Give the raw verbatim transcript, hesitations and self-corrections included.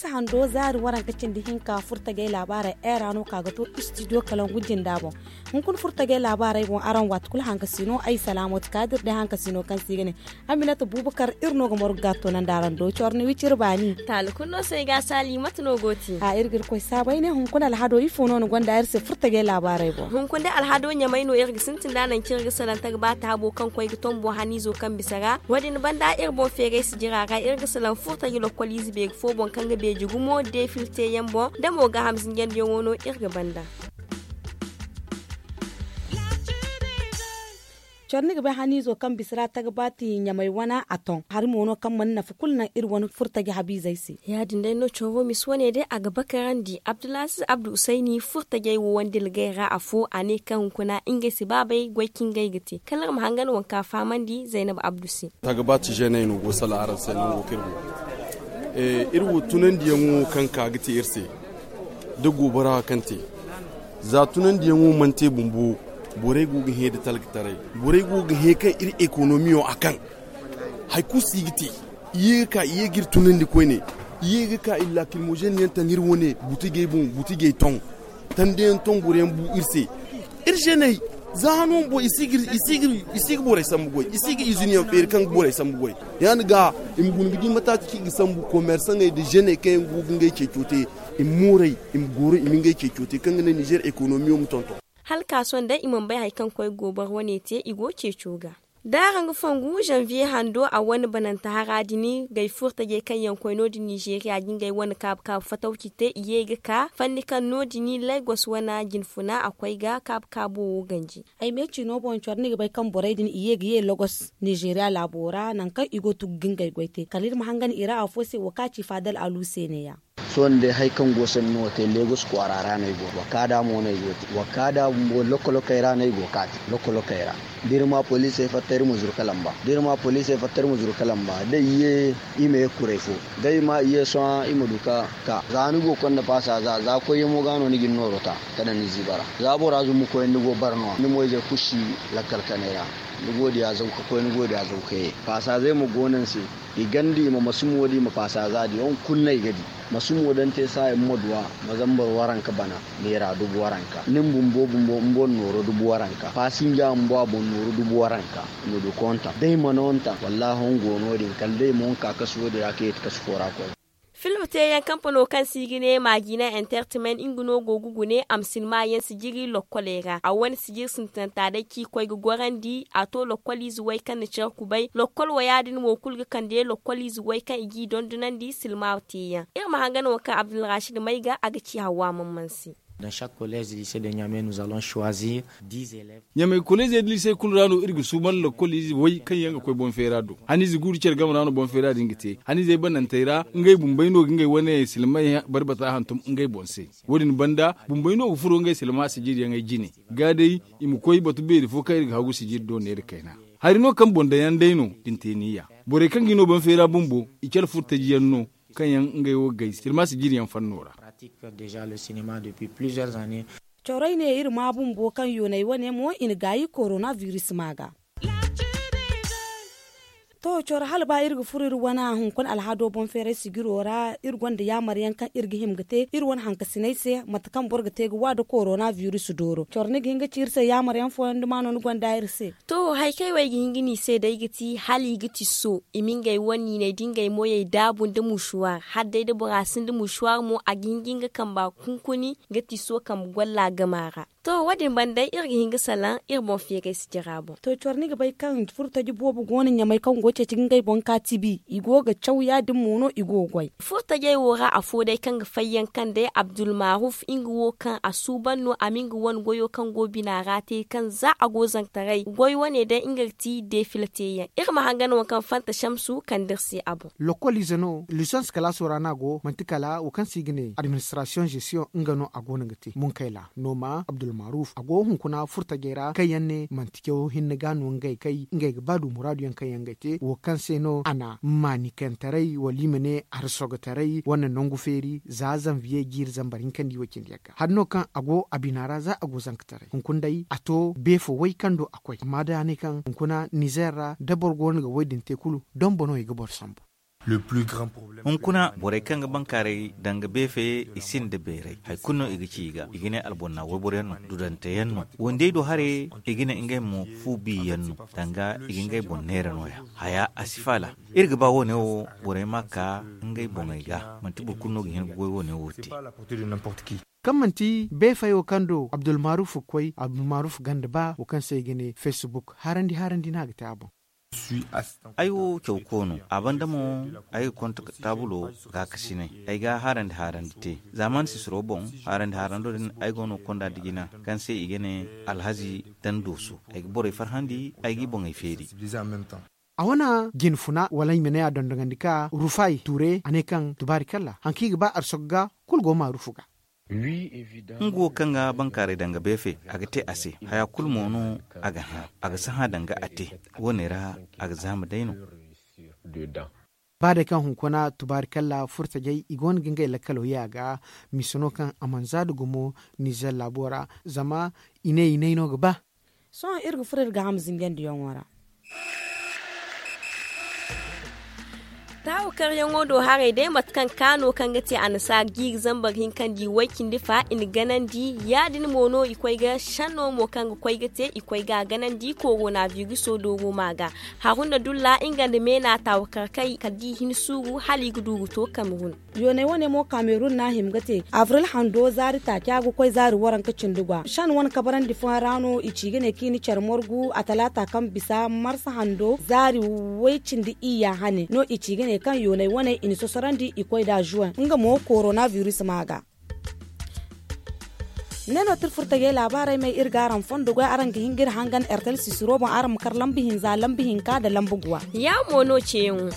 Hando zaari waranka cindi hinka furtajey laabaarey era no ka ga to istidiyo kalangu jinda boŋ. Hunkuna furtajey laabaarey boŋ araŋ waati kulu hankasino ay salaamatu kaadir day hankasino kaŋ se i ga ne aminata bubakar iri no ga margu ga a toonandi araŋ do cawar ni wiciri baani. Taali kulu no se ay ga a saali mate no go ti? A iri ga iri koy saabay ne hunkuna alhado ifo no ni gonda iri se furtajey laabaarey boŋ. Hunkuna day alhado ɲamay no iri ga sintin da nangu kaŋ iri ga salaŋ tagbaata habo kaŋ koy ga tombo haniizo kaŋ bisa ra wo- din banda iri boŋ feeray sijira ra iri ga salaŋ furtaji lokkol ize beeri fo boŋ kaŋ ga beeji gumo deefil teeyaŋ boŋ da mo gaaham zinjandiyaŋo no iri ga banda. Coro ni ga bay haniizo kaŋ bisa ra tagbaati ɲamay wana a ton hari mo no kaŋ mana nafa kulu naŋ iri wane furtaji habiizey se. Ya- din day no coro wo misi wane day a ga bakarandi abdulaziz abdu usayni furtajey wo wande lagay ra afo a ne kaŋ hunkuna ngey si baabay goy kaŋ ngey ga te kala iri ma hangan waŋ ka fahamandi zaynab abdu se. Tagbaati zeeney no go sala araŋ se nango kaŋ iri go. Iri wo tunandiyaŋo kaŋ ka ga te iri se da goobara kaŋ te za tunandiyaŋo mana te bumbo. Borey go ga hẽ da talkataray. Borey go ga hẽ kaŋ iri ekonomiyo a kaŋ hari kulu si ga te. I ye ga ka i ye ga iri tunandi koyne. I ye ga ka iri laakilmozen yaŋ taŋ iri wane butijey boŋ butijey toŋ tandeyaŋ toŋ boroyaŋ bu iri se. Iri zeeney za hano bumbo i si ga borey sambu goy i si ga iziniyaŋ feeri kaŋ ga borey sambu goy. Ya- din ga i ma guna ga di mataati kaŋ i ga sambu komersaŋey nda zeeney kaŋ yaŋ go ga ngey ceeco te i ma mooray i ma gooro i ma ngey ceeco te kaŋ ga naŋ nizer ekonomiyo ma tonton. Hala ka sohõ day i mana bay hari kaŋ koy gooboro wane te i go ceeco ga. Da araŋ ga fongu zanviye hando a wane bananta hara din gay furtajey kaŋ yaŋ koy no- din nizeeriya ga ngey wane kaabu kaabu fatawci te i ye ga ka fanni kaŋ no- din lagos wane jinfuna a koy ga kaabu kaabo wo ganji. Ay me ciino boŋ coro ni ga bay kaŋ borey din i ye ga ye lagos nizeeriya laabo ra nangu kaŋ i go ga tugu ga ngey goy te kala iri ma hangan i ra afo se wo kaŋ a ci faadal alu se ne- ya. Sohõ ni day hari kaŋ go sanni no te lagos kwaara ra no ay go te wa kaada mo no ay go te wa kaada bumbo lokko lokkey ra no ay go ga ka te lokko lokkey ra. Da iri ma poliisey fatta iri ma zuru ka lamba da iri ma poliisey fatta iri ma zuru ka lamba da i ye i ma ye ga kuray fo da i ma i ye sohõ i ma du ka ka za ni go ga konda paasa za za koyyaŋo ga no ni ga ni nooro ta ka daŋ ni ziiba ra. Za bora zumbu koyyaŋ ni go ga bara no- ya ni mo-izey kulu si lakkal kanay ra. Ni go ga diya zaw ka koy ni go ga diya zaw ka ye paasa zey mo go no ni se. I ganda i ma masu mo di i ma paasa za di hunkuna no i ga di. Masu mo daŋ te saayaŋ ma duwa ma zambar waranka bana neera dubu waranka ni ma bumbo bumbo ma boŋ nooro dubu waranka paasinja ma boŋ a boŋ nooro dubu waranka. I ma du kontaŋ da i mana wantaŋ wallaahi huŋ go no- din kala day mo huŋ ka kasu wo- din ra kaŋ i ti kasu fo ra koy. Film teeyaŋ kampano kaŋ se i ga ne maajina entertainment nga no go ga gune a ma sinima yaŋ sijiri lokkoley ra a wane sijiri sintinanta day kaŋ i koy ga gorandi a to lokkol ize way kaŋ na care kubay lokkol waya din mo kulu ga kande lokkol ize way kaŋ i g'i dondonandi silma teeyaŋ. Iri ma hangan waŋ kaŋ abdulrashid may ga a ga ci hawa mamman se. Dans chaque collège lycée de niamey nous allons choisir dix élèves. Ɲamey koleezey da liisey kulu ra no iri ga suuban lakkol ize way kaŋ yaŋ ga koy boŋ feera do. Haniize guuru care game ra no boŋ feera din ga te haniizey banantey ra ngey bumbey no ga ngey wane silmay barbata hantum ngey boŋ se. Wo- din banda bumbey no ga furo ngey silma sijiriyaŋey jine. Ga day i ma koy batu beeri fo kaŋ iri ga hagu sijiri do neera kayna. Hari no kaŋ boŋ daŋ yaŋ day no da ni te niya. Borey kaŋ ga i no boŋ feera bumbo i care furtaji yaŋ no kaŋ yaŋ ngey wo ga gay silma sijiriyaŋ fanno ra. Pratique déjà le cinéma depuis plusieurs années. Corey ne iri ma bumbo kaŋ yoonay wane mo i na gaayi korona virus ma ga. To coro hala ba iri ga furo iri wane hunkuna alhado boŋ feeray sijiro ra iri gonda yaamar yaŋ kaŋ iri ga hima ga te iri wane hankasinay se mate kaŋ boro ga te ga wa nda korona virus dooro coro ni ga hin ga ci iri se yaamar yaŋ fooyaŋ duma no ni gonda iri se. To hari kaŋ ay wo ay ga hin ga ni se day ga ti hala i ga ti so i ma ngey wane niiney da ngey moyey daabu nda musuwaar hala day da bora sinda musuwaar mo a ga hin ga nga kamba hunkuni ga ti so kambe golla gama ra. To wo- din banda iri ga hin ga salaŋ iri boŋ feeray sijira boŋ. To coro ni ga bay kaŋ furtaji boobo go no ɲamay kaŋ go ga ceeci ga ngey boŋ ka tibi i go ga caw ya- din mo no i go ga goy. Furtajey wo ra afo day kaŋ ga fayyaŋ kaŋ day abdulmaruf nga wo kaŋ a suuban no a ma nga wane goyo kaŋ go bina ra te kaŋ za a go zankataray goy wane day nga ga ti deefila teeyaŋ iri ma hangan waŋ kaŋ fanta shamsu kande iri se a boŋ. Lokol ize no lisons kalaaso ra no a go manti kala wo kaŋ se i ga ne administrasiyoŋ zesiyoŋ nga no a go no ga te munkayla nooma abdulmaruf a go hunkuna furtajey ra kaŋ yaŋ ne manti caw hinne ga no ngey kay ngey ga ba du muraadu yaŋ kaŋ yaŋ ngey te wo kaŋ se no a na maanikantaray wala i ma ne harsogotaray wane nangu feeri za zanviye jiiri zambar hinka nda i wo cindi yaŋ ga hari no kaŋ a go a bina ra za a go zankataray hunkuna day a to beefo way kaŋ do a koy amma day a ne kaŋ hunkuna nizer ra da boro go no ga wo- din te kulu donbo no i ga boro sambu. Hunkuna borey kaŋ ga bankaaray danga beefe i sinda beeray hari kulu no i ga ci i ga i ga ne albonna wayboro yaŋ no dudante yaŋ no wandey do hare. I ga ne ngey mo fu bi yaŋ no danga i ga ngey boŋ neera no- ya haya a si faala. Iri ga ba wo- ne wo borey ma ka ngey boŋey ga manti boro kulu no ga hin ga goy wo- ne wo te. Kaŋ manti beefey wo kaŋ do abdulmaruf ga koy abdulmaruf ganda ba wo kaŋ se i ga ne facebook harandi harandi no a ga te a boŋ. Ay wo cawko no a banda mo. Ay ga konto taabulo gaakasinay ay ga harandi harandi te. Za mana sisiro boŋ harandi harando din ay go no ga konda nda jina kaŋ se i ga ne alhazi dan dooso. Ay ga borey farhandi ay ga i boŋey feeri. A wane jine funa wala ay ma ne a dondogandi ka rufay tuure a ne kaŋ tubaari kalla hari kaŋ i ga ba arsogo ga kulu go maarufu ga. Nga wo kaŋ ga bankaaray danga beefe a ga te a se haya kulu mo no a ga hã a ga sahã danga a te. Wo- ne ra a ga zaama day no. Ba day kaŋ hunkuna tubaari kalla furtajey i go no ga ngey lakkalo ye a ga misa no kaŋ a mana za da gumo nizer laabo ra. Zama i ne i ne ay no ga ba. Sohõ iri ga furo iri ga hama zingandiyaŋo ra. Taawakaryaŋo do haray day mate kaŋ kaano kaŋ ga te annasaara jiiri zambar hinka nda i way cindi fa i na ganandi. Ya- din mo no i koy ga sanno mo kaŋ ga koy ga te i koy ga a ganandi korona biiriso dooro ma ga. Haruna dulla nga nda meena taawakar kay kala da i hin suuru hala i ga du ga to kamerun. Yooney wane mo kamerun no a hima ga te abril hando zaari taaca ga koy zaari waranka cindi gwa san wane kabarandi fooyaŋ ra no i ci ga ne kaŋ i na care margu a talaata kaŋ bisa marsa hando zaari way cindi iyya hane no i ci ga ne kaŋ yooney wane i na sosorandi i koy nd'a zuwen nga mo korona biris ma ga. Ne no tirfurtajey laabaarey may iri ga araŋ fondo goy araŋ ga hin ga iri hangan ertel sisiro boŋ araŋ ma kar lambu hinza lambu hinka nda lambu guwa. Ya mo no ceeyaŋo.